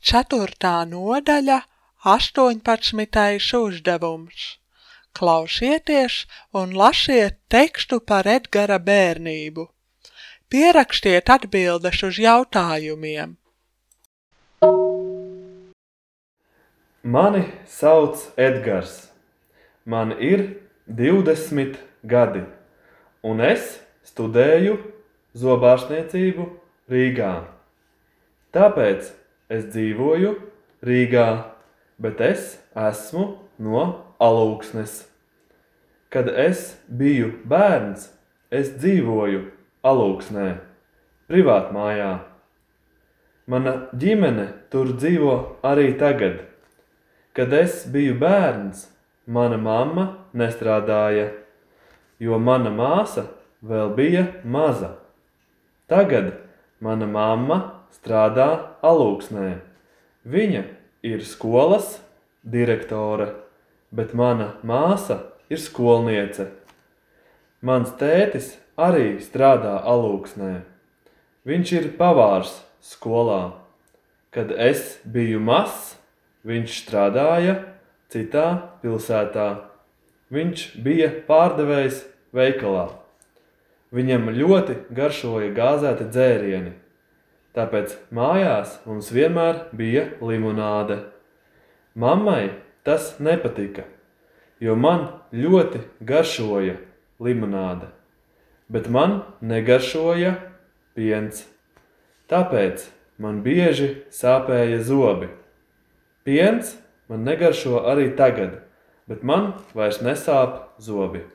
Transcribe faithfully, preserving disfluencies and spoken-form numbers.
Ceturtā nodaļa, astoņpadsmitais uzdevums. Klausieties un lasiet tekstu par Edgara bērnību. Pierakstiet atbildes uz jautājumiem. Mani sauc Edgars. Man ir divdesmit gadi, un es studēju zobārstniecību Rīgā. Tāpēc es dzīvoju Rīgā, bet es esmu no Alūksnes. Kad es biju bērns, es dzīvoju Alūksnē, privātmājā. Mana ģimene tur dzīvo arī tagad. Kad es biju bērns, mana mamma nestrādāja, jo mana māsa vēl bija maza. Tagad mana mamma strādā Alūksnē. Viņa ir skolas direktore, bet mana māsa ir skolniece. Mans tētis arī strādā Alūksnē. Viņš ir pavārs skolā. Kad es biju mazs, viņš strādāja citā pilsētā. Viņš bija pārdevējs veikalā. Viņam ļoti garšoja gāzēti dzērieni, tāpēc mājās mums vienmēr bija limonāde. Mammai tas nepatika, jo man ļoti garšoja limonāde, bet man negaršoja piens. Tāpēc man bieži sāpēja zobi. Piens man negaršo arī tagad, bet man vairs nesāp zobi.